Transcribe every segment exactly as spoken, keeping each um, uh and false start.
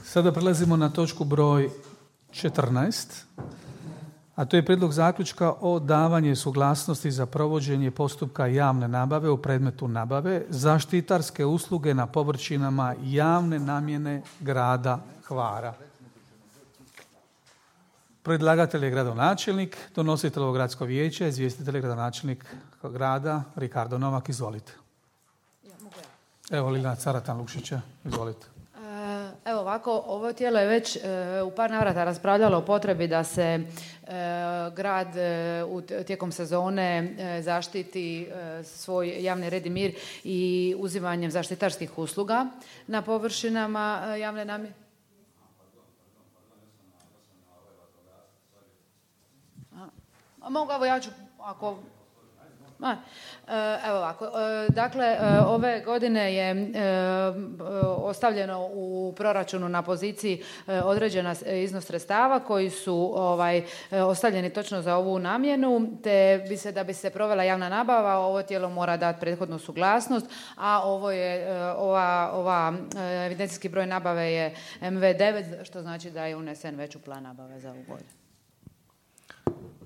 Sada prelazimo na točku broj četrnaest, a to je prijedlog zaključka o davanju suglasnosti za provođenje postupka javne nabave u predmetu nabave zaštitarske usluge na površinama javne namjene grada Hvara. Predlagatelj je gradonačelnik, donositelj ovog gradsko vijeće, izvjestitelj je gradonačelnik grada Ricardo Novak. Izvolite. Evo Ljiljana Caratan Lukšića, izvolite. Evo ovako, ovo tijelo je već e, u par navrata raspravljalo o potrebi da se e, grad e, u, tijekom sezone e, zaštiti e, svoj javni red i mir i uzimanjem zaštitarskih usluga na površinama e, javne namjene. A mogu, evo ja ću, ako... A, evo ovako, dakle ove godine je ostavljeno u proračunu na poziciji određena iznos sredstava koji su ovaj, ostavljeni točno za ovu namjenu, te bi se, da bi se provela javna nabava, ovo tijelo mora dati prethodnu suglasnost, a ovo je, ova, ova evidencijski broj nabave je em ve devet, što znači da je unesen već u plan nabave za ovu godinu.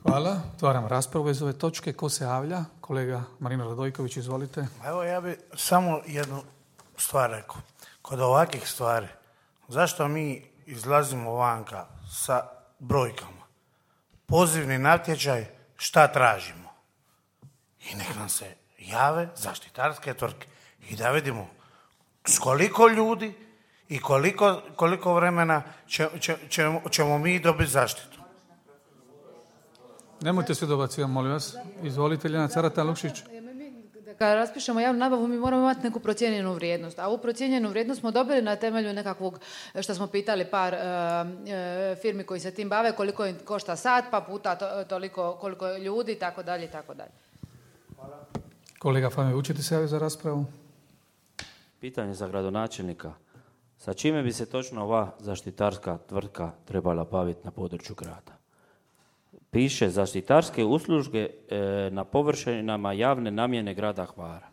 Hvala. Otvaram raspravu bez ove točke. Ko se javlja? Kolega Marino Radojković, izvolite. Evo, ja bih samo jednu stvar rekao. Kod ovakvih stvari, zašto mi izlazimo vanka sa brojkama? Pozivni natječaj, šta tražimo? I nek nam se jave zaštitarske tvrtke i da vidimo s koliko ljudi i koliko, koliko vremena će, će, ćemo, ćemo mi dobiti zaštitu. Nemojte se dobacivati, molim vas. Izvolite, Ljiljana Caratan Lukšić. Kada raspišemo javnu nabavu, mi moramo imati neku procijenjenu vrijednost. A ovu procijenjenu vrijednost smo dobili na temelju nekakvog, što smo pitali par uh, firmi koji se tim bave, koliko im košta sat, pa puta to, toliko, koliko ljudi, tako dalje, tako dalje. Hvala. Kolega Fame, učite se javiti za raspravu? Pitanje za gradonačelnika. Sa čime bi se točno ova zaštitarska tvrtka trebala baviti na području grada? Piše zaštitarske usluge e, na površinama javne namjene grada Hvara.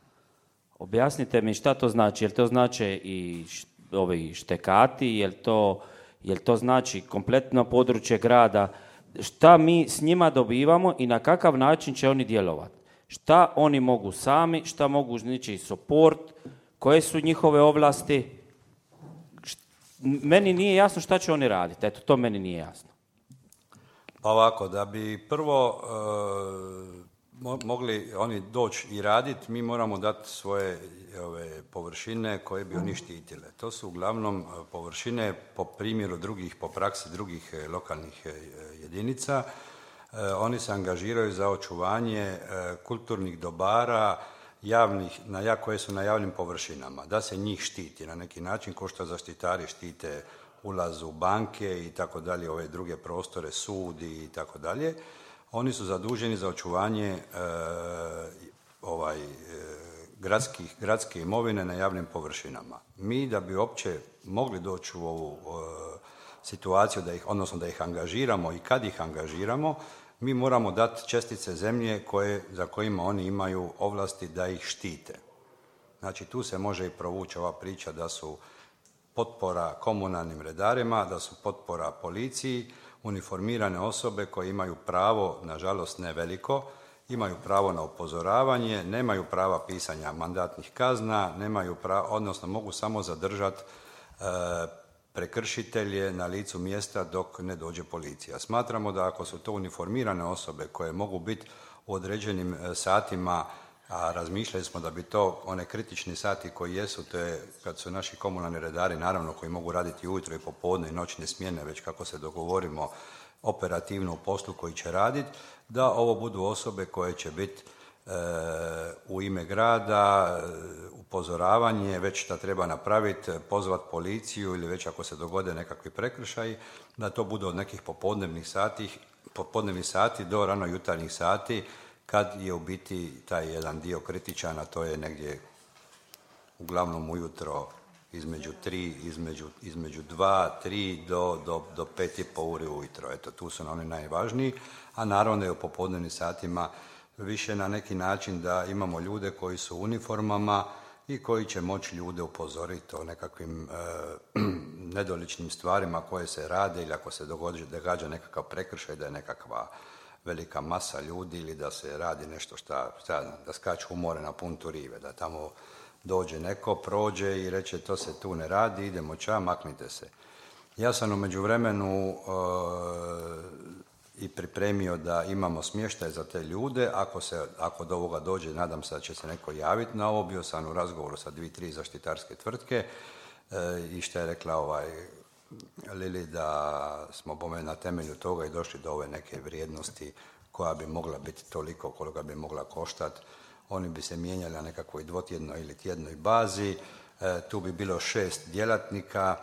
Objasnite mi šta to znači. Jel to znači i š, ovi štekati, jel to, jel to znači kompletno područje grada? Šta mi s njima dobivamo i na kakav način će oni djelovati? Šta oni mogu sami, šta mogu znači support, koje su njihove ovlasti? Št, meni nije jasno šta će oni raditi. Eto, to meni nije jasno. Pa ovako, da bi prvo e, mogli oni doći i raditi, mi moramo dati svoje ove, površine koje bi oni štitile. To su uglavnom površine po primjeru drugih, po praksi drugih e, lokalnih e, jedinica. E, oni se angažiraju za očuvanje e, kulturnih dobara javnih, na, koje su na javnim površinama, da se njih štiti na neki način, kao što zaštitari štite ulaz u banke i tako dalje, ove druge prostore, sudi i tako dalje. Oni su zaduženi za očuvanje e, ovaj, e, gradskih, gradske imovine na javnim površinama. Mi da bi uopće mogli doći u ovu e, situaciju, da ih, odnosno da ih angažiramo i kad ih angažiramo, mi moramo dati čestice zemlje koje, za kojima oni imaju ovlasti da ih štite. Znači tu se može i provući ova priča da su potpora komunalnim redarima, da su potpora policiji, uniformirane osobe koje imaju pravo, nažalost ne veliko, imaju pravo na upozoravanje, nemaju prava pisanja mandatnih kazna, nemaju pravo, odnosno mogu samo zadržati e, prekršitelje na licu mjesta dok ne dođe policija. Smatramo da ako su to uniformirane osobe koje mogu biti u određenim satima, a razmišljali smo da bi to one kritični sati koji jesu, to je kad su naši komunalni redari, naravno koji mogu raditi ujutro i popodne i noćne smjene, već kako se dogovorimo operativno u poslu koji će raditi, da ovo budu osobe koje će biti e, u ime grada, upozoravanje, već šta treba napraviti, pozvat policiju ili već ako se dogode nekakvi prekršaji, da to budu od nekih popodnevnih sati, popodnevnih sati do rano jutarnjih sati, kad je u biti taj jedan dio kritičan, a to je negdje uglavnom ujutro između tri, između, između dva, tri do, do, do pet i po uri ujutro. Eto, tu su oni najvažniji, a naravno je u popodnevnim satima više na neki način da imamo ljude koji su u uniformama i koji će moći ljude upozoriti o nekakvim e, nedoličnim stvarima koje se rade ili ako se događa, događa nekakav prekršaj, da je nekakva velika masa ljudi ili da se radi nešto šta, šta da skaču u more na puntu rive, da tamo dođe neko, prođe i reče to se tu ne radi, idemo ča, maknite se. Ja sam u međuvremenu uh, i pripremio da imamo smještaj za te ljude, ako, se, ako do ovoga dođe, nadam se da će se neko javiti na ovo, bio sam u razgovoru sa dvije, tri zaštitarske tvrtke uh, i što je rekla ovaj Lili, da smo bome na temelju toga i došli do ove neke vrijednosti koja bi mogla biti toliko koliko bi mogla koštati. Oni bi se mijenjali na nekakvoj dvotjednoj ili tjednoj bazi, e, tu bi bilo šest djelatnika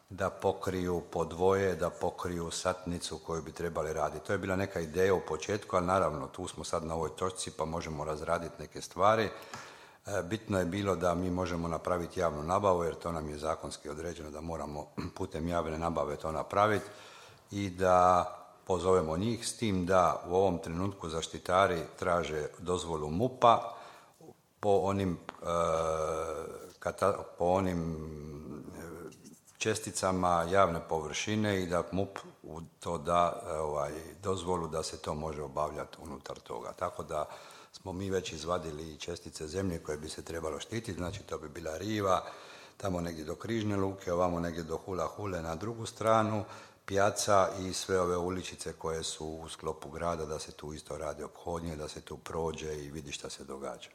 da pokriju po dvoje, da pokriju satnicu koju bi trebali raditi. To je bila neka ideja u početku, ali naravno tu smo sad na ovoj točci pa možemo razraditi neke stvari. E, bitno je bilo da mi možemo napraviti javnu nabavu, jer to nam je zakonski određeno da moramo putem javne nabave to napraviti i da pozovemo njih, s tim da u ovom trenutku zaštitari traže dozvolu MUP-a po onim, e, kata, po onim česticama javne površine i da MUP u to da ovaj, dozvolu da se to može obavljati unutar toga. Tako da smo mi već izvadili čestice zemlje koje bi se trebalo štititi, znači to bi bila riva, tamo negdje do Križne luke, ovamo negdje do Hula Hule na drugu stranu, pijaca i sve ove uličice koje su u sklopu grada, da se tu isto radi ophodnje, da se tu prođe i vidi šta se događa.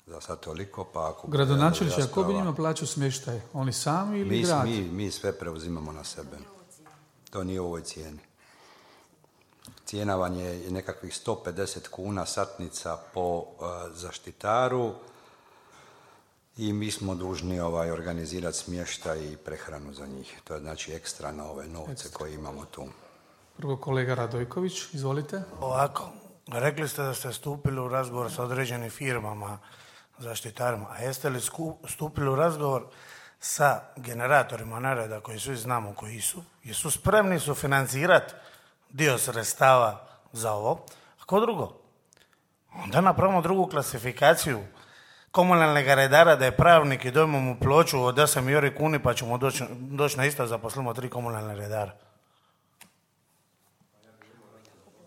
Za sad toliko, pa ako... Gradonačelniče, a ko bi njima plaćao smještaj? Oni sami ili mi, grad? Mi, mi sve preuzimamo na sebe. To nije u ovoj cijeni. Cijena vam je nekakvih sto pedeset kuna satnica po uh, zaštitaru i mi smo dužni ovaj, organizirati smještaj i prehranu za njih. To je znači ekstra na ove novce ekstra koje imamo tu. Prvo kolega Radojković, izvolite. Ovako, rekli ste da ste stupili u razgovor sa određenim firmama, zaštitarima, a jeste li stupili u razgovor sa generatorima nereda koji svi znamo koji su, jesu spremni su financirati dio sredstava za ovo? Ako drugo, onda napravimo drugu klasifikaciju komunalnog redara, da je pravnik i dojmo mu ploču od osam jori kuni pa ćemo doći, doći na isto, zaposlimo tri komunalne redara.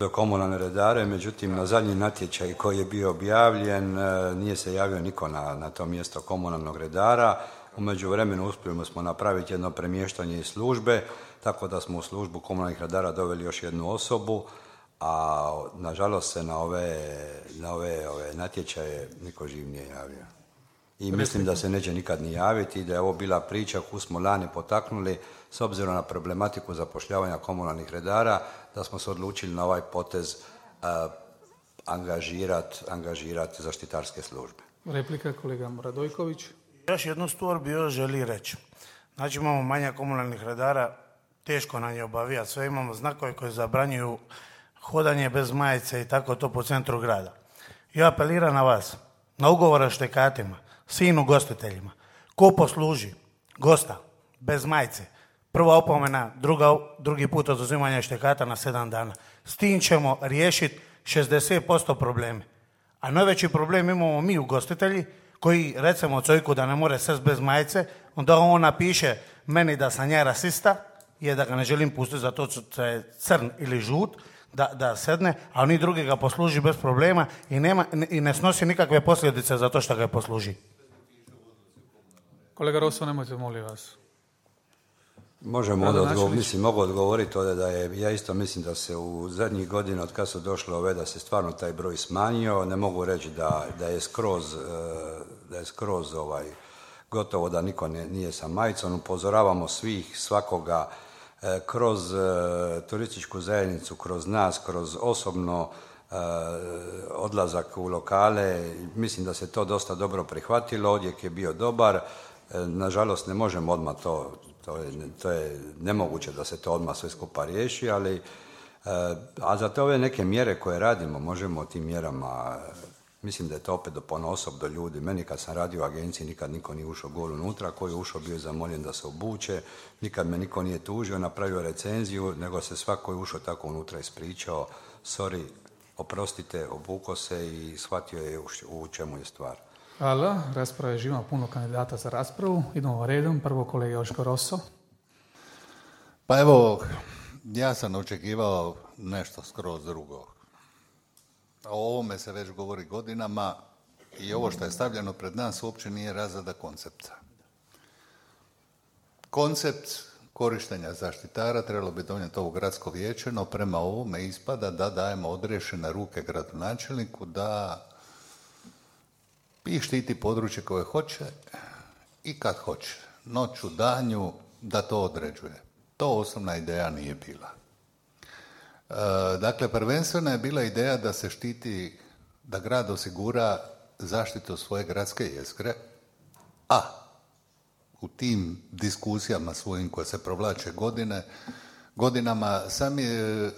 Do komunalne redare, međutim na zadnji natječaj koji je bio objavljen nije se javio niko na, na to mjesto komunalnog redara. U međuvremenu uspjeli smo napraviti jedno premještanje iz službe, tako da smo u službu komunalnih redara doveli još jednu osobu, a nažalost se na ove, na ove, ove natječaje niko živ nije javio. I mislim da se neće nikad ni javiti, da je ovo bila priča koju smo lani potaknuli s obzirom na problematiku zapošljavanja komunalnih redara, da smo se odlučili na ovaj potez uh, angažirati angažirat zaštitarske službe. Replika kolega Radojković. Još jednu stvar bi još želi reći. Znači imamo manje komunalnih redara, teško na nje obavijati sve, imamo znakove koji zabranjuju hodanje bez majice i tako to po centru grada. Ja apeliram na vas, na ugovore štekatima, svim ugostiteljima, ko posluži gosta bez majice, prva opomena, druga, drugi put oduzimanje štekata na sedam dana. S tim ćemo riješiti šezdeset posto probleme. A najveći problem imamo mi ugostitelji koji, recimo cojku da ne more sest bez majice, onda on napiše meni da sam ja rasista, je da ga ne želim pustiti zato što je crn ili žut, da, da sedne, a oni drugi ga posluži bez problema i, nema, i ne snosi nikakve posljedice za to što ga posluži. Kolega Rosso, nemojte, molim vas. Možemo odgovoriti, mislim, mogu odgovoriti ovdje da je, ja isto mislim da se u zadnjih godina od kad su došle ove, da se stvarno taj broj smanjio, ne mogu reći da, da je skroz, da je skroz ovaj, gotovo da niko ne, nije sa majicom, upozoravamo svih, svakoga, kroz turističku zajednicu, kroz nas, kroz osobno odlazak u lokale, mislim da se to dosta dobro prihvatilo, odjek je bio dobar, nažalost ne možemo odmah to, to je, to je nemoguće da se to odmah sve skupa riješi, ali a za te ove neke mjere koje radimo, možemo tim mjerama, mislim da je to opet do ponosob do ljudi. Meni kad sam radio u agenciji nikad niko nije ušao gol unutra, koji je ušao bio je zamoljen da se obuče, nikad me niko nije tužio, napravio recenziju, nego se svako je ušao tako unutra ispričao, sorry, oprostite, obuko se i shvatio je u čemu je stvar. Hvala, rasprava je živa, puno kandidata za raspravu. Idemo redom, prvo kolega Joško Rosso. Pa evo, ja sam očekivao nešto skroz drugo. O ovome se već govori godinama i ovo što je stavljeno pred nas uopće nije razrada koncepta. Koncept korištenja zaštitara trebalo bi donijeti ovo gradsko vijeće, no prema ovome ispada da dajemo odriješene ruke gradonačelniku da i štiti područje koje hoće i kad hoće. Noću, danju, da to određuje. To osnovna ideja nije bila. E, dakle, prvenstveno je bila ideja da se štiti, da grad osigura zaštitu svoje gradske jezgre, a u tim diskusijama svojim koje se provlače godine, godinama sam je e,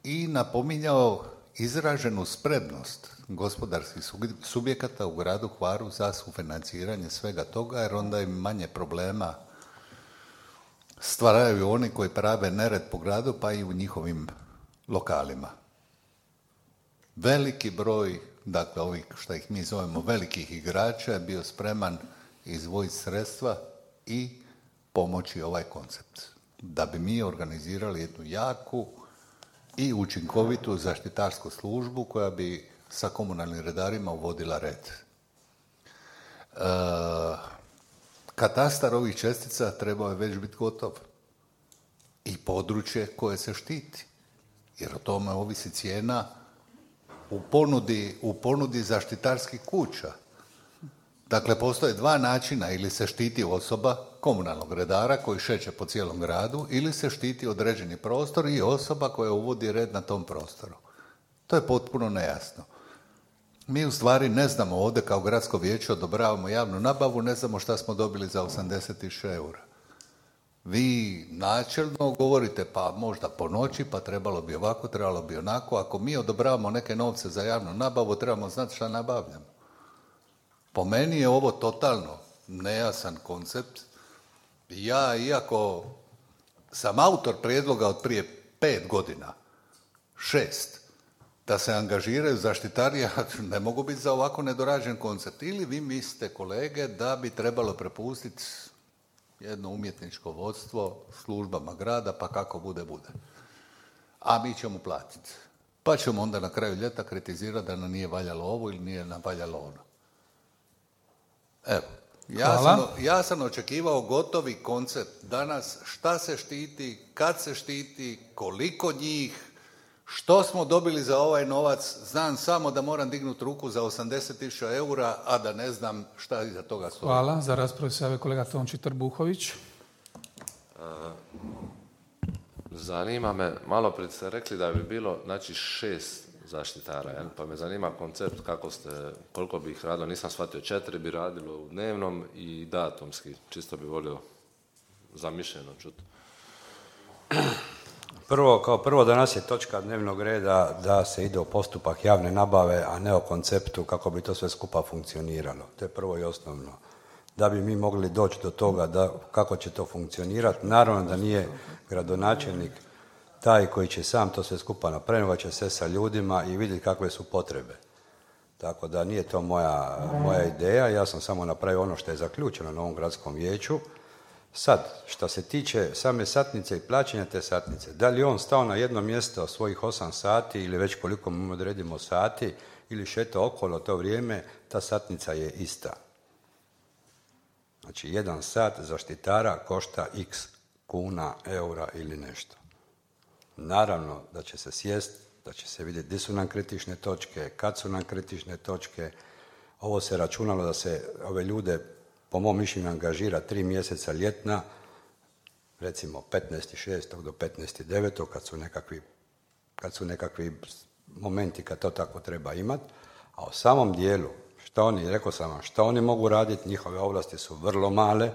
i napominjao izraženu spremnost gospodarskih subjekata u gradu Hvaru za sufinanciranje svega toga, jer onda im manje problema stvaraju oni koji prave nered po gradu, pa i u njihovim lokalima. Veliki broj, dakle ovih što ih mi zovemo velikih igrača, je bio spreman izdvojiti sredstva i pomoći ovaj koncept. Da bi mi organizirali jednu jaku i učinkovitu zaštitarsku službu koja bi sa komunalnim redarima uvodila red. E, katastar ovih čestica trebao je već biti gotov. I područje koje se štiti. Jer o tome ovisi cijena u ponudi, u ponudi zaštitarskih kuća. Dakle, postoje dva načina, ili se štiti osoba komunalnog redara koji šeće po cijelom gradu, ili se štiti određeni prostor i osoba koja uvodi red na tom prostoru. To je potpuno nejasno. Mi u stvari ne znamo ovdje kao gradsko vijeće odobravamo javnu nabavu, ne znamo šta smo dobili za osamdeset tisuća eura. Vi načelno govorite pa možda po noći, pa trebalo bi ovako, trebalo bi onako. Ako mi odobravamo neke novce za javnu nabavu, trebamo znati šta nabavljamo. Po meni je ovo totalno nejasan koncept. Ja, iako sam autor prijedloga od prije pet godina, šest, da se angažiraju zaštitari, ja ne mogu biti za ovako nedorađen koncept. Ili vi mislite, kolege, da bi trebalo prepustiti jedno umjetničko vodstvo službama grada, pa kako bude, bude. A mi ćemo platiti. Pa ćemo onda na kraju ljeta kritizirati da nam nije valjalo ovo ili nije nam valjalo ono. Evo, ja sam, ja sam očekivao gotovi koncept danas, šta se štiti, kad se štiti, koliko njih, što smo dobili za ovaj novac. Znam samo da moram dignuti ruku za osamdeset tisuća eura, a da ne znam šta iza toga stoji. Hvala. Za raspravu se javio kolega Tonči Trbuhović. Zanima me, malo prije ste rekli da bi bilo znači šest zaštitara, jel? Pa me zanima koncept kako ste, koliko bi ih radilo, nisam shvatio, četiri bi radilo u dnevnom i datumski, čisto bi volio zamišljeno čuti. Prvo, kao prvo danas je točka dnevnog reda da se ide u postupak javne nabave, a ne o konceptu kako bi to sve skupa funkcioniralo. To je prvo i osnovno. Da bi mi mogli doći do toga da, kako će to funkcionirati, naravno da nije gradonačelnik taj koji će sam to sve skupa napraviti, će se sa ljudima i vidjeti kakve su potrebe. Tako da nije to moja, moja ideja, ja sam samo napravio ono što je zaključeno na ovom gradskom vijeću. Sad, što se tiče same satnice i plaćanja te satnice, da li on stao na jedno mjesto svojih osam sati ili već koliko mu odredimo sati ili šeta okolo to vrijeme, ta satnica je ista. Znači, jedan sat zaštitara košta x kuna, eura ili nešto. Naravno da će se sjest, da će se vidjeti gdje su nam kritične točke, kad su nam kritične točke. Ovo se računalo da se ove ljude, po mom mišljenju, angažira tri mjeseca ljetna, recimo petnaesti šestog do petnaesti devetog kad su nekakvi, kad su nekakvi momenti kad to tako treba imati. A u samom dijelu, što oni, rekao sam vam, što oni mogu raditi, njihove ovlasti su vrlo male,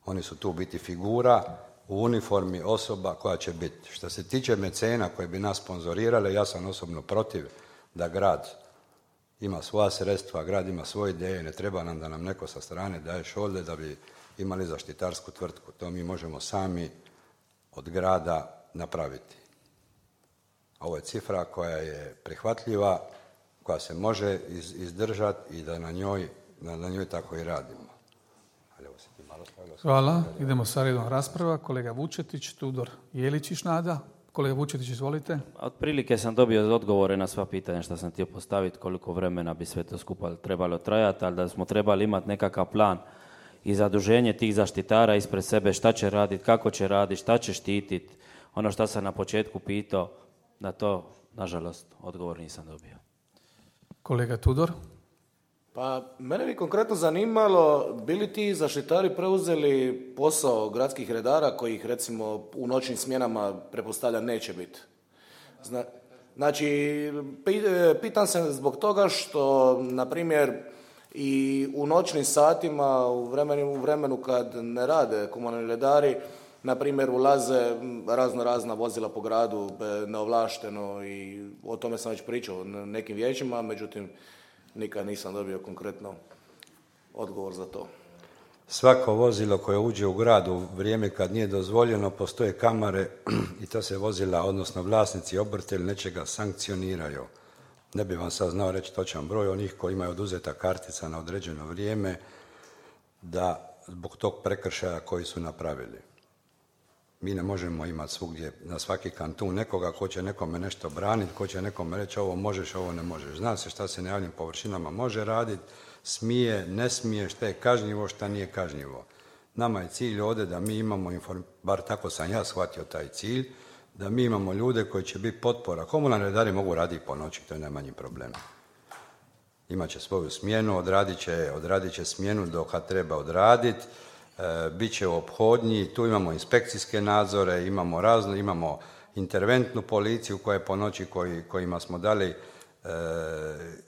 oni su tu biti figura u uniformi osoba koja će biti. Što se tiče mecena koje bi nas sponzorirale, ja sam osobno protiv da grad ima svoja sredstva, grad ima svoje ideje, ne treba nam da nam neko sa strane daje šolde da bi imali zaštitarsku tvrtku. To mi možemo sami od grada napraviti. Ovo je cifra koja je prihvatljiva, koja se može iz, izdržati i da na njoj, da na njoj tako i radimo. Ali evo se ti malo Hvala. Idemo sa redom rasprava. Kolega Vučetić, Tudor Jeličić, Nada. Kolega Vučetić, izvolite. Otprilike sam dobio odgovore na sva pitanja što sam htio postaviti, koliko vremena bi sve to skupa trebalo trajati, ali da smo trebali imati nekakav plan i zaduženje tih zaštitara ispred sebe, šta će raditi, kako će raditi, šta će štititi. Ono što sam na početku pitao, na to, nažalost, odgovor nisam dobio. Kolega Tudor. Pa, mene bi konkretno zanimalo, bili ti zaštitari preuzeli posao gradskih redara kojih recimo u noćnim smjenama pretpostavljam neće biti? Zna, znači, pitam se zbog toga što, na primjer, i u noćnim satima, u vremenu, u vremenu kad ne rade komunalni redari, na primjer, ulaze razno razna vozila po gradu neovlašteno i o tome sam već pričao na nekim vijećima, međutim, nikad nisam dobio konkretno odgovor za to. Svako vozilo koje uđe u grad u vrijeme kad nije dozvoljeno, postoje kamere i to se vozila, odnosno vlasnici obrta ili nečega sankcioniraju. Ne bi vam sad znao reći točan broj onih koji imaju oduzeta kartica na određeno vrijeme, da zbog tog prekršaja koji su napravili. Mi ne možemo imati svugdje, na svaki kantun nekoga ko će nekome nešto braniti, ko će nekome reći ovo možeš, ovo ne možeš. Zna se šta se na javnim površinama može raditi, smije, ne smije, šta je kažnjivo, šta nije kažnjivo. Nama je cilj ovdje da mi imamo, inform... bar tako sam ja shvatio taj cilj, da mi imamo ljude koji će biti potpora. Komunalni redari mogu raditi po noći, to je najmanji problem. Imaće svoju smjenu, odradit će, odradit će smjenu dok kad treba odraditi, e, bit će u ophodnji, tu imamo inspekcijske nadzore, imamo razno, imamo interventnu policiju koja je po noći koji, kojima smo dali e,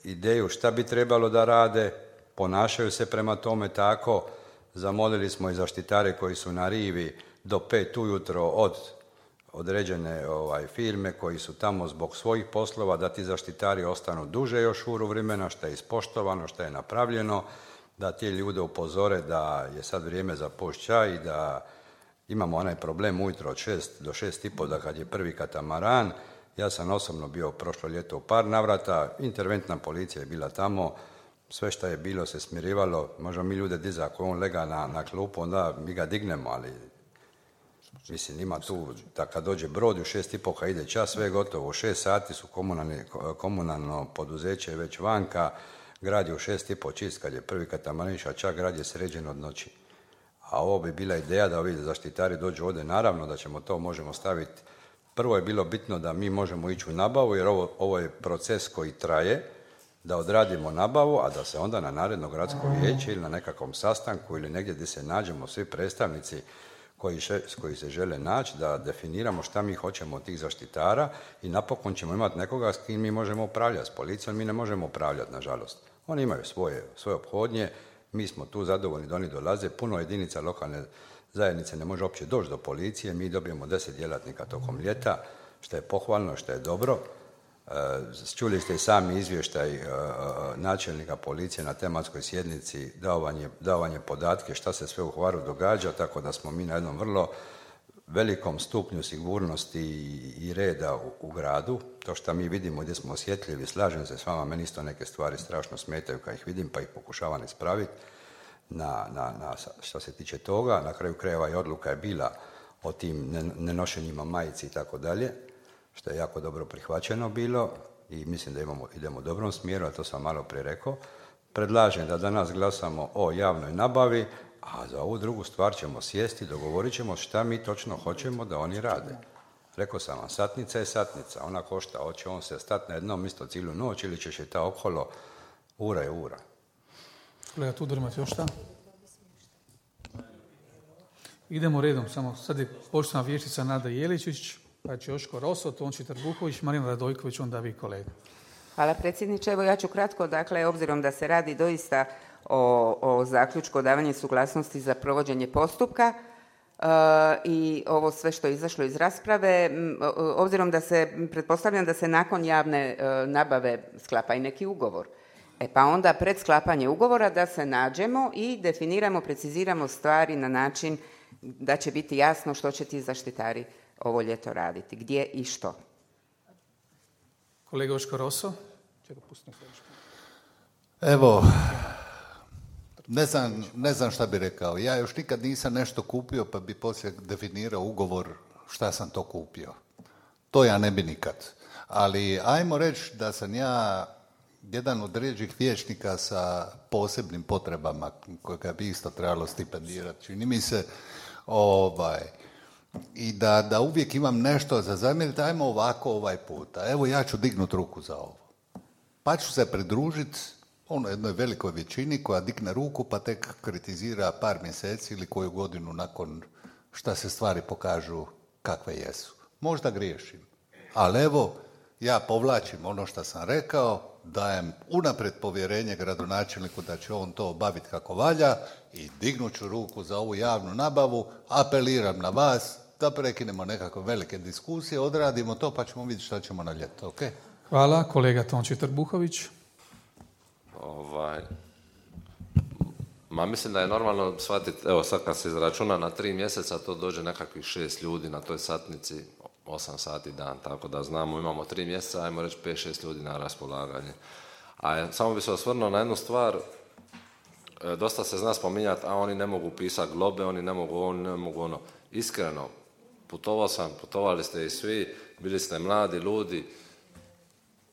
ideju šta bi trebalo da rade, ponašaju se prema tome tako, zamolili smo i zaštitare koji su na rivi do pet ujutro od određene ovaj, firme koji su tamo zbog svojih poslova, da ti zaštitari ostanu duže još uru vremena, što je ispoštovano, što je napravljeno, da ti ljude upozore da je sad vrijeme za post čaj i da imamo onaj problem ujutro od šest do šest i pol, da kad je prvi katamaran. Ja sam osobno bio prošlo ljeto u par navrata, interventna policija je bila tamo, sve što je bilo se smirivalo, možemo mi ljude dizati, ako on lega na, na klupu, onda mi ga dignemo, ali mislim, ima tu, da kad dođe brod u šest i po, kad ide čas, sve je gotovo. U šest sati su komunalno poduzeće već vanka, grad je u šest i po čist, kad je prvi katamariš, a čak grad je sređen od noći. A ovo bi bila ideja da ovi zaštitari dođu ovdje, naravno da ćemo to, možemo staviti. Prvo je bilo bitno da mi možemo ići u nabavu, jer ovo, ovo je proces koji traje, da odradimo nabavu, a da se onda na naredno gradsko vijeće ili na nekakvom sastanku ili negdje gdje se nađemo svi predstavnici Koji, še, koji se žele naći, da definiramo šta mi hoćemo od tih zaštitara i napokon ćemo imati nekoga s kim mi možemo upravljati. S policijom mi ne možemo upravljati, nažalost. Oni imaju svoje, svoje ophodnje, mi smo tu zadovoljni da oni dolaze. Puno jedinica lokalne zajednice ne može uopće doći do policije, mi dobijemo deset djelatnika tokom ljeta, što je pohvalno, što je dobro. Čuli ste i sami izvještaj načelnika policije na tematskoj sjednici, davanje, davanje podatke šta se sve u Hvaru događa, tako da smo mi na jednom vrlo velikom stupnju sigurnosti i reda u, u gradu. To što mi vidimo gdje smo osjetljivi, slažem se s vama, meni isto neke stvari strašno smetaju kad ih vidim pa ih pokušavam ispraviti. Na, na, na, što se tiče toga, na kraju krajeva i odluka je bila o tim nenošenjima majici i tako dalje, što je jako dobro prihvaćeno bilo i mislim da imamo, idemo u dobrom smjeru, a to sam malo prije rekao. Predlažem da danas glasamo o javnoj nabavi, a za ovu drugu stvar ćemo sjesti, dogovorit ćemo šta mi točno hoćemo da oni rade. Rekao sam vam, satnica je satnica, ona košta, hoće on se stati na jednom mjesto cijelu noć ili će šeta okolo, ura je ura. Kolega Tudor, imate još šta? Idemo redom, samo sad je poštovana vijećnica Nada Jeličić, pa će Joško Roso, Tonči Trbuković, Marina Radojković, onda vi kolega. Hvala predsjedniče. Evo ja ću kratko, dakle, obzirom da se radi doista o, o zaključku o davanju suglasnosti za provođenje postupka uh, i ovo sve što je izašlo iz rasprave, obzirom da se, pretpostavljam da se nakon javne uh, nabave sklapa i neki ugovor. E pa onda pred sklapanje ugovora da se nađemo i definiramo, preciziramo stvari na način da će biti jasno što će ti zaštitari ovo ljeto raditi, gdje i što. Kolega Joško Roso. Evo, Ne znam, ne znam šta bi rekao. Ja još nikad nisam nešto kupio pa bi poslije definirao ugovor šta sam to kupio. To ja ne bi nikad. Ali ajmo reći da sam ja jedan od rijeđih vijećnika sa posebnim potrebama kojega bi isto trebalo stipendirati. Čini mi se ovaj, i da, da uvijek imam nešto za zamjeriti. Ajmo ovako ovaj puta. Evo ja ću dignut ruku za ovo. Pa ću se pridružiti ono jednoj velikoj većini koja digne ruku pa tek kritizira par mjeseci ili koju godinu nakon šta se stvari pokažu kakve jesu. Možda griješim, ali evo ja povlačim ono što sam rekao, dajem unaprijed povjerenje gradonačelniku da će on to obaviti kako valja i dignut ću ruku za ovu javnu nabavu, apeliram na vas da prekinemo nekakve velike diskusije, odradimo to pa ćemo vidjeti šta ćemo na ljeto, ok? Hvala, kolega Tonči Trbuhović. Ovaj, ma mislim da je normalno shvatiti, evo sad kad se izračuna na tri mjeseca, to dođe nekakvih šest ljudi na toj satnici, osam sati dan, tako da znamo, imamo tri mjeseca, ajmo reći pet šest ljudi na raspolaganje. A samo bi se osvrnuo na jednu stvar, dosta se zna spominjati, a oni ne mogu pisati globe, oni ne mogu oni ne mogu ono. Iskreno, putovao sam, putovali ste i svi, bili ste mladi ljudi,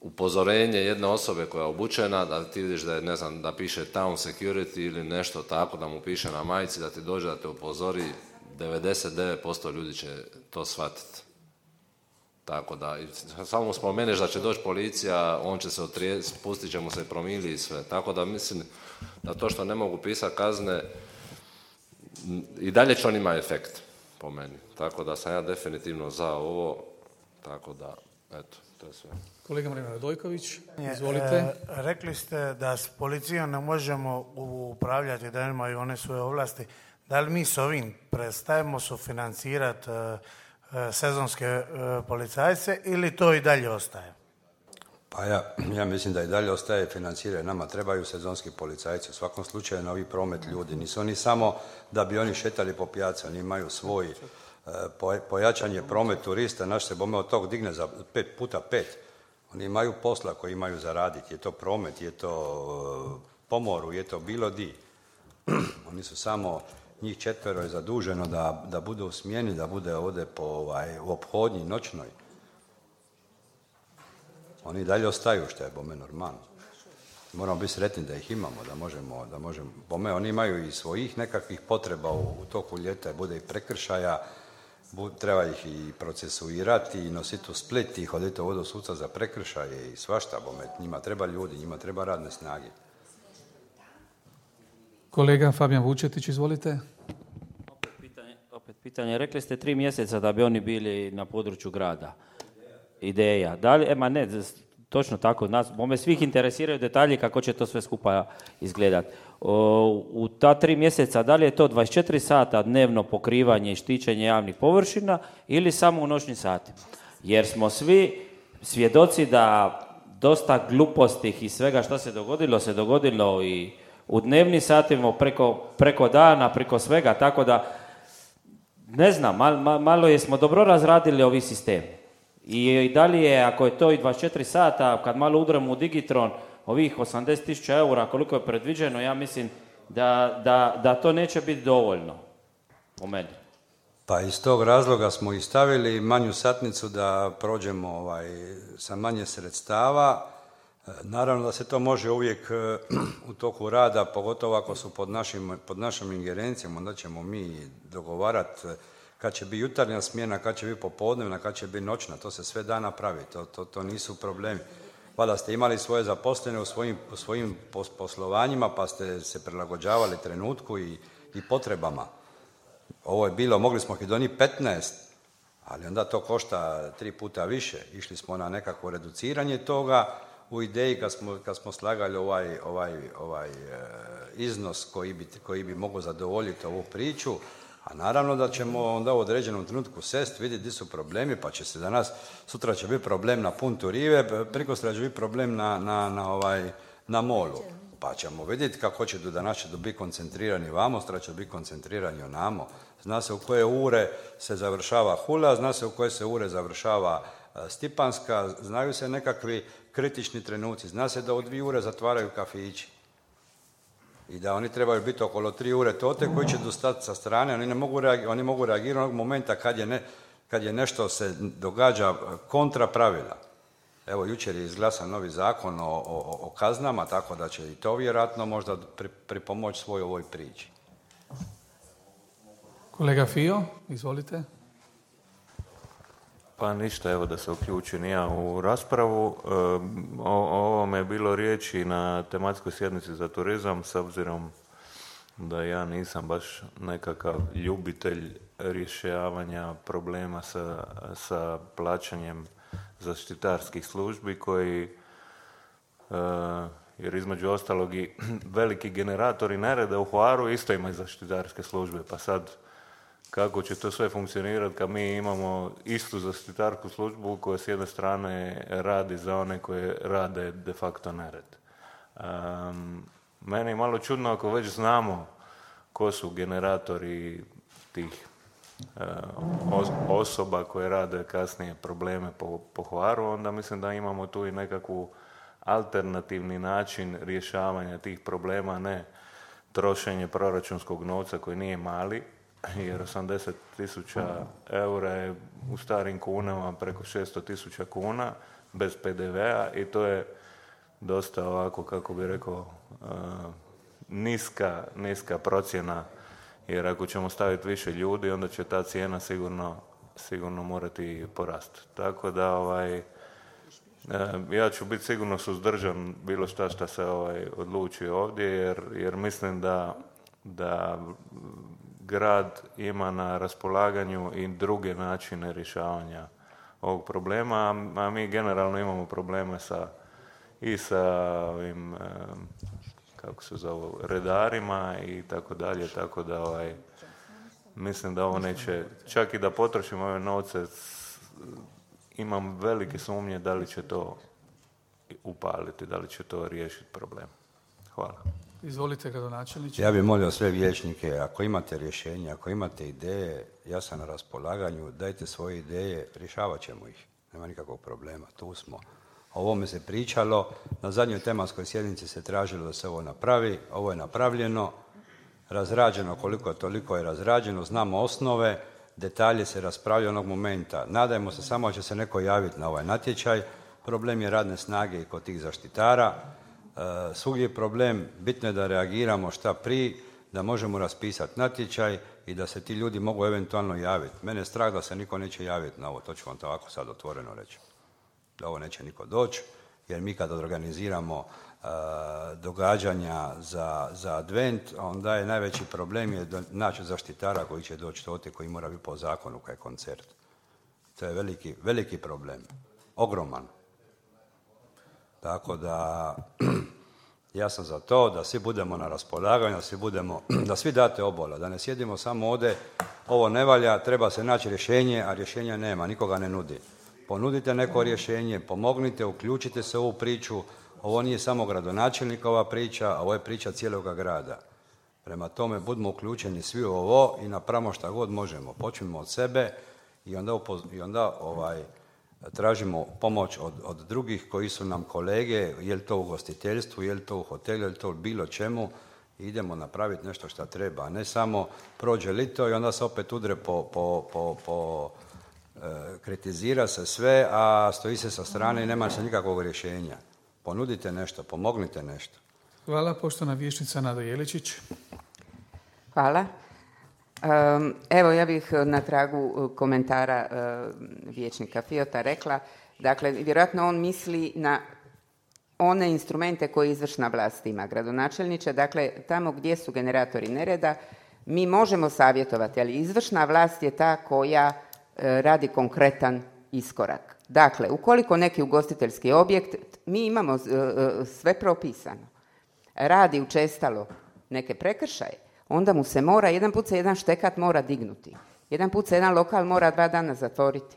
upozorenje jedne osobe koja je obučena, da ti vidiš da je, ne znam, da piše town security ili nešto tako, da mu piše na majici, da ti dođe da te upozori, devedeset devet posto ljudi će to shvatiti. Tako da, samo spomeniš da će doći policija, on će se otrijeti, spustit će mu se promili i sve. Tako da mislim da to što ne mogu pisati kazne, i dalje će on ima efekt, po meni. Tako da sam ja definitivno za ovo, tako da, eto, to je sve. Kolega Marina Radojković, izvolite. E, rekli ste da s policijom ne možemo upravljati, da imaju one svoje ovlasti. Da li mi s ovim prestajemo sufinancirati e, sezonske e, policajce ili to i dalje ostaje? Pa ja, ja mislim da i dalje ostaje financiranje. Nama trebaju sezonski policajci. U svakom slučaju novi promet ljudi. Nisu oni samo da bi oni šetali po pijaci. Oni imaju svoj e, pojačanje promet turista. Naš se bome od tog digne za pet puta pet. Oni imaju posla koji imaju zaraditi. Je to promet, je to po moru, je to bilo di. Oni su samo, njih četvero je zaduženo da, da bude u smjeni, da bude ovdje po, ovaj, u ophodnji noćnoj. Oni dalje ostaju, što je bome normalno. Moramo biti sretni da ih imamo, da možemo, da možemo. Bome, oni imaju i svojih nekakvih potreba u, u toku ljeta, bude i prekršaja, treba ih i procesuirati i nositi u Split i hoditi ovdje u suca za prekršaje i svašta, bome. Njima treba ljudi, njima treba radne snage. Kolega Fabijan Vučetić, izvolite. Opet pitanje, opet pitanje. Rekli ste tri mjeseca da bi oni bili na području grada. Ideja. Da li, ema ne, točno tako, nas, bome svih interesiraju detalji kako će to sve skupa izgledati. U ta tri mjeseca, da li je to dvadeset četiri sata dnevno pokrivanje i štićenje javnih površina ili samo u noćnim satima? Jer smo svi svjedoci da dosta glupostih i svega što se dogodilo, se dogodilo i u dnevnim satima, preko, preko dana, preko svega, tako da, ne znam, mal, mal, malo jesmo dobro razradili ovi sistemi. I, i da li je, ako je to i dvadeset četiri sata, kad malo udremo u Digitron, ovih osamdeset tisuća eura, koliko je predviđeno, ja mislim da, da, da to neće biti dovoljno, u meni. Pa iz tog razloga smo i stavili manju satnicu da prođemo ovaj, sa manje sredstava. Naravno da se to može uvijek u toku rada, pogotovo ako su pod, našim, pod našom ingerencijom, onda ćemo mi dogovarati kad će biti jutarnja smjena, kad će biti popodnevna, kad će biti noćna, to se sve da napraviti, to, to, to nisu problemi. Valjda ste imali svoje zaposlene u svojim, u svojim poslovanjima, pa ste se prilagođavali trenutku i, i potrebama. Ovo je bilo, mogli smo ih donijeti petnaest, ali onda to košta tri puta više. Išli smo na nekakvo reduciranje toga u ideji kad smo, kad smo slagali ovaj, ovaj, ovaj e, iznos koji bi, koji bi mogao zadovoljiti ovu priču. A naravno da ćemo onda u određenom trenutku sest, vidjeti gdje su problemi, pa će se danas, sutra će biti problem na Puntu Rive, prikostra će biti problem na, na, na, ovaj, na molu. Pa ćemo vidjeti kako će do danas će biti koncentrirani vamo, sutra će biti koncentrirani onamo. Zna se u koje ure se završava Hula, zna se u koje se ure završava Stipanska, znaju se nekakvi kritični trenuci, zna se da u dvije ure zatvaraju kafići. i da oni trebaju biti okolo tri ure tote koji će dostati sa strane, oni, ne mogu, reagirati, oni mogu reagirati onog momenta kad je, ne, kad je nešto se događa kontra pravila. Evo, jučer je izglasan novi zakon o, o, o kaznama, tako da će i to vjerojatno možda pri, pripomoći svoj ovoj priči. Kolega Fio, izvolite. Pa ništa, evo da se uključim ja u raspravu. E, o, o ovome je bilo riječi na tematskoj sjednici za turizam, s obzirom da ja nisam baš nekakav ljubitelj rješavanja problema sa, sa plaćanjem zaštitarskih službi koji, e, jer između ostalog i veliki generatori nereda u Hvaru isto imaju zaštitarske službe, pa sad kako će to sve funkcionirati kad mi imamo istu zaštitarsku službu koja s jedne strane radi za one koje rade de facto nered. Um, meni je malo čudno ako već znamo ko su generatori tih uh, osoba koje rade kasnije probleme po, po Hvaru, onda mislim da imamo tu i nekakvu alternativni način rješavanja tih problema, ne trošenje proračunskog novca koji nije mali, jer osamdeset tisuća eura je u starim kunama preko šesto tisuća kuna bez pe de vea i to je dosta ovako, kako bi rekao, uh, niska, niska procjena, jer ako ćemo staviti više ljudi, onda će ta cijena sigurno, sigurno morati porasti. Tako da ovaj, uh, ja ću biti sigurno suzdržan bilo šta šta se ovaj, odluči ovdje, jer, jer mislim da, da grad ima na raspolaganju i druge načine rješavanja ovog problema, a mi generalno imamo probleme sa, i sa ovim, kako se zove, redarima i tako dalje, tako da ovaj, mislim da ovo neće, čak i da potrošimo ove novce, imam velike sumnje da li će to upaliti, da li će to riješiti problem. Hvala. Izvolite, gradonačelniče. Ja bih molio sve vijećnike, ako imate rješenja, ako imate ideje, ja sam na raspolaganju, dajte svoje ideje, rješavat ćemo ih. Nema nikakvog problema, tu smo. O ovome se pričalo, na zadnjoj tematskoj sjednici se tražilo da se ovo napravi, ovo je napravljeno, razrađeno koliko toliko je razrađeno, znamo osnove, detalje se raspravljaju onog momenta. Nadajmo se samo da će se neko javiti na ovaj natječaj, problem je radne snage i kod tih zaštitara. Uh, svugdje je problem, bitno je da reagiramo šta prije, da možemo raspisati natječaj i da se ti ljudi mogu eventualno javiti. Mene je strah da se niko neće javiti na ovo, to ću vam to ovako sad otvoreno reći. Da ovo neće niko doći, jer mi kad organiziramo uh, događanja za, za advent, onda je najveći problem je naći zaštitara koji će doći tote, koji mora biti po zakonu kao je koncert. To je veliki, veliki problem, ogroman. Tako da, ja sam za to da svi budemo na raspolaganju, da svi, budemo, da svi date obola, da ne sjedimo samo ovdje, ovo ne valja, treba se naći rješenje, a rješenja nema, nikoga ne nudi. Ponudite neko rješenje, pomognite, uključite se u ovu priču, ovo nije samo gradonačelnikova priča, a ovo je priča cijeloga grada. Prema tome, budemo uključeni svi u ovo i napravimo šta god možemo. Počnemo od sebe i onda, upoz, i onda ovaj, tražimo pomoć od, od drugih koji su nam kolege, je li to u ugostiteljstvu, je li to u hotelu, je li to u bilo čemu, i idemo napraviti nešto što treba, a ne samo prođe lito i onda se opet udre po, po, po, po e, kritizira se sve, a stoji se sa strane i nema se nikakvog rješenja. Ponudite nešto, pomognite nešto. Hvala, poštovana vijećnica Nada Jeličić. Hvala. Evo, ja bih na tragu komentara vijećnika Fiota rekla, dakle, vjerojatno on misli na one instrumente koje izvršna vlast ima, gradonačelniče, dakle, tamo gdje su generatori nereda, mi možemo savjetovati, ali izvršna vlast je ta koja radi konkretan iskorak. Dakle, ukoliko neki ugostiteljski objekt, mi imamo sve propisano, radi učestalo neke prekršaje, onda mu se mora, jedan put se jedan štekat mora dignuti. Jedan put se jedan lokal mora dva dana zatvoriti.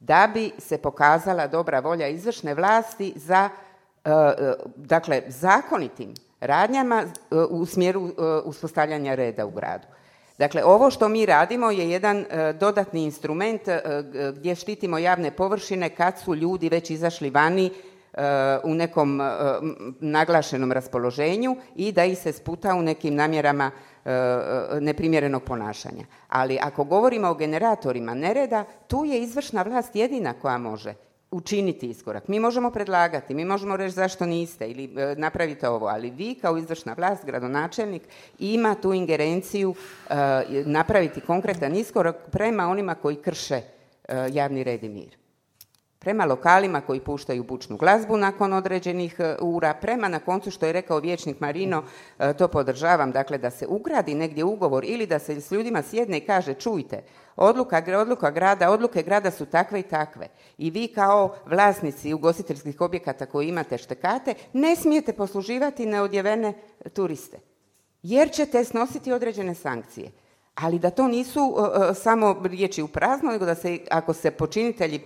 Da bi se pokazala dobra volja izvršne vlasti za, dakle, zakonitim radnjama u smjeru uspostavljanja reda u gradu. Dakle, ovo što mi radimo je jedan dodatni instrument gdje štitimo javne površine kad su ljudi već izašli vani u nekom uh, naglašenom raspoloženju i da ih se sputa u nekim namjerama uh, neprimjerenog ponašanja. Ali ako govorimo o generatorima nereda, tu je izvršna vlast jedina koja može učiniti iskorak. Mi možemo predlagati, mi možemo reći zašto niste ili e, napravite ovo, ali vi kao izvršna vlast, gradonačelnik, ima tu ingerenciju e, napraviti konkretan iskorak prema onima koji krše e, javni red i mir. Prema lokalima koji puštaju bučnu glazbu nakon određenih ura, prema na koncu što je rekao vijećnik Marino, to podržavam, dakle da se ugradi negdje ugovor ili da se s ljudima sjedne i kaže čujte, odluka, odluka grada, odluke grada su takve i takve i vi kao vlasnici ugostiteljskih objekata koji imate štekate ne smijete posluživati neodjevene turiste jer ćete snositi određene sankcije. Ali da to nisu uh, samo riječi u prazno, nego da se, ako se počinitelji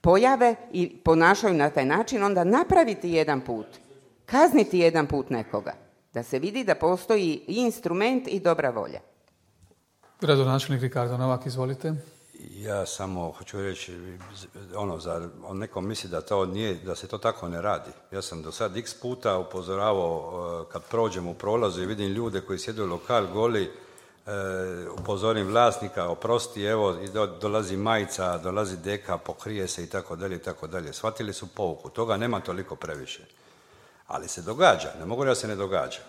pojave i ponašaju na taj način, onda napraviti jedan put, kazniti jedan put nekoga, da se vidi da postoji i instrument i dobra volja. Gradonačelnik Ricardo Novak, izvolite. Ja samo hoću reći, ono, za, on neko misli da to nije, da se to tako ne radi. Ja sam do sad x puta upozoravao kad prođem u prolazu i vidim ljude koji sjede u lokal goli, upozorim vlasnika, oprosti, evo, dolazi majica, dolazi deka, pokrije se i tako dalje i tako dalje. Shvatili su pouku, toga nema toliko previše. Ali se događa, ne mogu da se ne događa.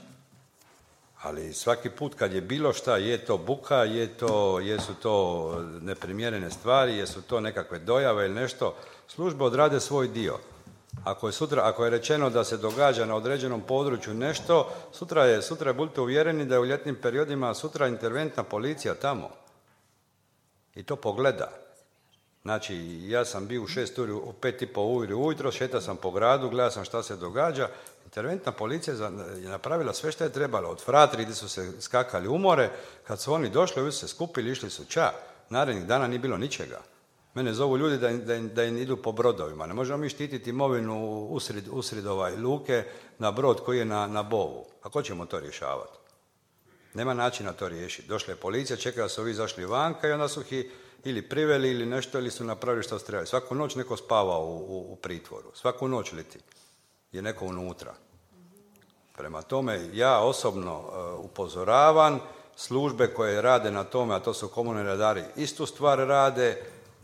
Ali svaki put kad je bilo šta, je to buka, je to, jesu to neprimjerene stvari, jesu to nekakve dojave ili nešto, službe odrade svoj dio. Ako je, sutra, ako je rečeno da se događa na određenom području nešto, sutra je, sutra budite uvjereni da je u ljetnim periodima sutra interventna policija tamo. I to pogleda. Znači, ja sam bio u šest uri, u pet i po uri ujutro, šetao sam po gradu, gledao sam šta se događa. Interventna policija je napravila sve što je trebalo. Od fratri gdje su se skakali u more, kad su oni došli, ovi su se skupili, išli su ča. Narednih dana nije bilo ničega. Mene zovu ljudi da, da, da im idu po brodovima. Ne možemo mi štititi imovinu usred, usred ovaj luke na brod koji je na, na bovu. Kako ćemo to rješavati? Nema načina to riješiti. Došla je policija, čekala su ovi izašli vanka i onda su ih ili priveli ili nešto ili su napravili što su trebali. Svaku noć neko spava u, u, u pritvoru. Svaku noć leti je neko unutra. Prema tome, ja osobno uh, upozoravam službe koje rade na tome, a to su komunalni redari, istu stvar rade,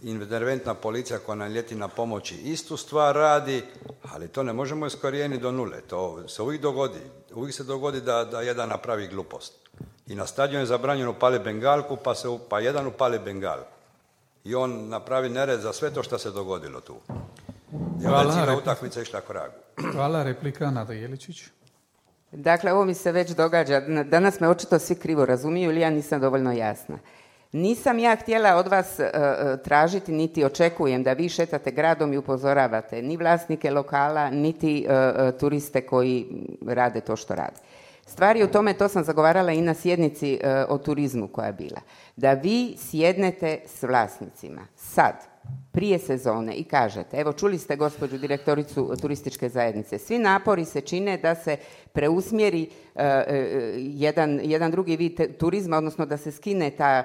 interventna policija koja nam ljeti na pomoći istu stvar radi, ali to ne možemo iskorijeniti do nule. To se uvijek dogodi. Uvijek se dogodi da, da jedan napravi glupost. I na stadionu je zabranjeno upali bengalku, pa, se, pa jedan upali bengalku. I on napravi nered za sve to što se dogodilo tu. I onda je cijela utakmica išla k vragu. Hvala, replika Nada Jeličić. Dakle, ovo mi se već događa. Danas me očito svi krivo razumiju ili ja nisam dovoljno jasna. Nisam ja htjela od vas uh, tražiti, niti očekujem da vi šetate gradom i upozoravate ni vlasnike lokala, niti uh, turiste koji rade to što rade. Stvar je u tome, to sam zagovarala i na sjednici uh, o turizmu koja je bila, da vi sjednete s vlasnicima sad, prije sezone i kažete, evo čuli ste gospođu direktoricu turističke zajednice, svi napori se čine da se preusmjeri uh, uh, jedan, jedan drugi vid turizma, odnosno da se skine ta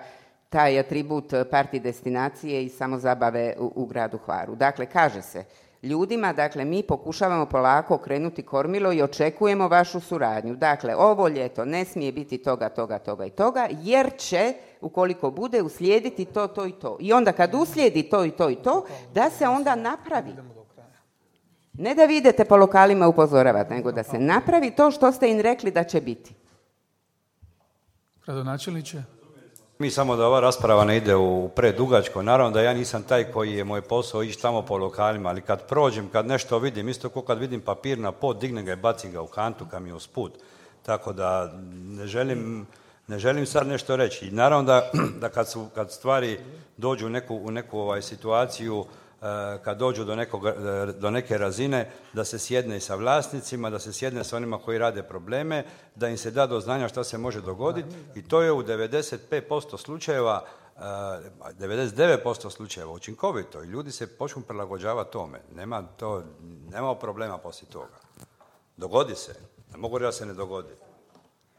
taj atribut parti destinacije i samozabave u, u gradu Hvaru. Dakle, kaže se ljudima, dakle, mi pokušavamo polako okrenuti kormilo i očekujemo vašu suradnju. Dakle, ovo ljeto ne smije biti toga, toga, toga i toga, jer će, ukoliko bude, uslijediti to, to i to. I onda kad uslijedi to i to i to, da se onda napravi. Ne da vi idete po lokalima upozoravati, nego da se napravi to što ste im rekli da će biti. Gradonačelniče? Mi samo da ova rasprava ne ide u predugačko. Naravno da ja nisam taj koji je moj posao ići tamo po lokalima, ali kad prođem, kad nešto vidim, isto kao kad vidim papir na pod, dignem ga i bacim ga u kantu kad mi je usput. Tako da ne želim, ne želim sad nešto reći. I naravno da, da kad, su, kad stvari dođu u neku, u neku ovaj, situaciju, kad dođu do, nekog, do neke razine, da se sjedne i sa vlasnicima, da se sjedne sa onima koji rade probleme, da im se da do znanja šta se može dogoditi i to je u devedeset pet posto slučajeva, devedeset devet posto slučajeva učinkovito i ljudi se počnu prilagođavati tome. Nema, to, nema problema poslije toga. Dogodi se. Ne mogu reći da se ne dogodi.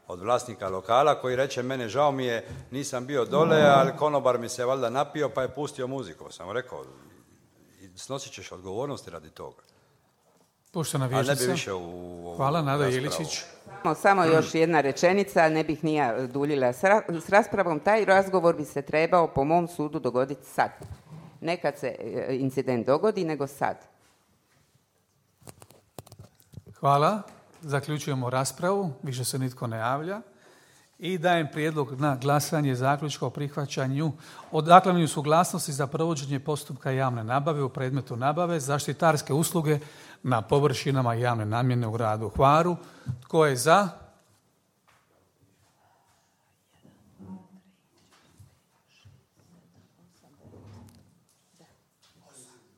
Od vlasnika lokala koji reče, mene žao mi je, nisam bio dole, ali konobar mi se valjda napio pa je pustio muziku. Sam rekao, snosit ćeš odgovornosti radi toga. Poštovana Ali ne bi vijećnica. više u ovu Hvala, Nada raspravu. Jeličić. Samo- Samo još jedna rečenica, ne bih ni ja duljila s, ra- s raspravom. Taj razgovor bi se trebao po mom sudu dogoditi sad. Ne kad se e, incident dogodi, nego sad. Hvala. Zaključujemo raspravu. Više se nitko ne javlja. I dajem prijedlog na glasanje zaključka o prihvaćanju, odaklavanju suglasnosti za provođenje postupka javne nabave u predmetu nabave zaštitarske usluge na površinama javne namjene u gradu Hvaru. Tko je za?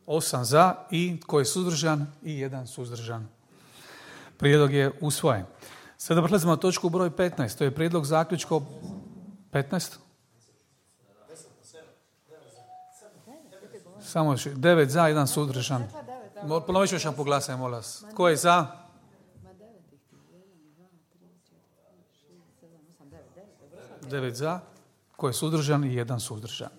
Osam za i tko je suzdržan? I jedan suzdržan. Prijedlog je usvojen. Sada prelazimo na točku broj petnaest. To je prijedlog zaključka o... petnaest? Samo još devet za, jedan suzdržan. Mo- Ponovit ću još jedan po glasanju, molim vas. Tko je za? Devet za. Tko je suzdržan? I jedan suzdržan.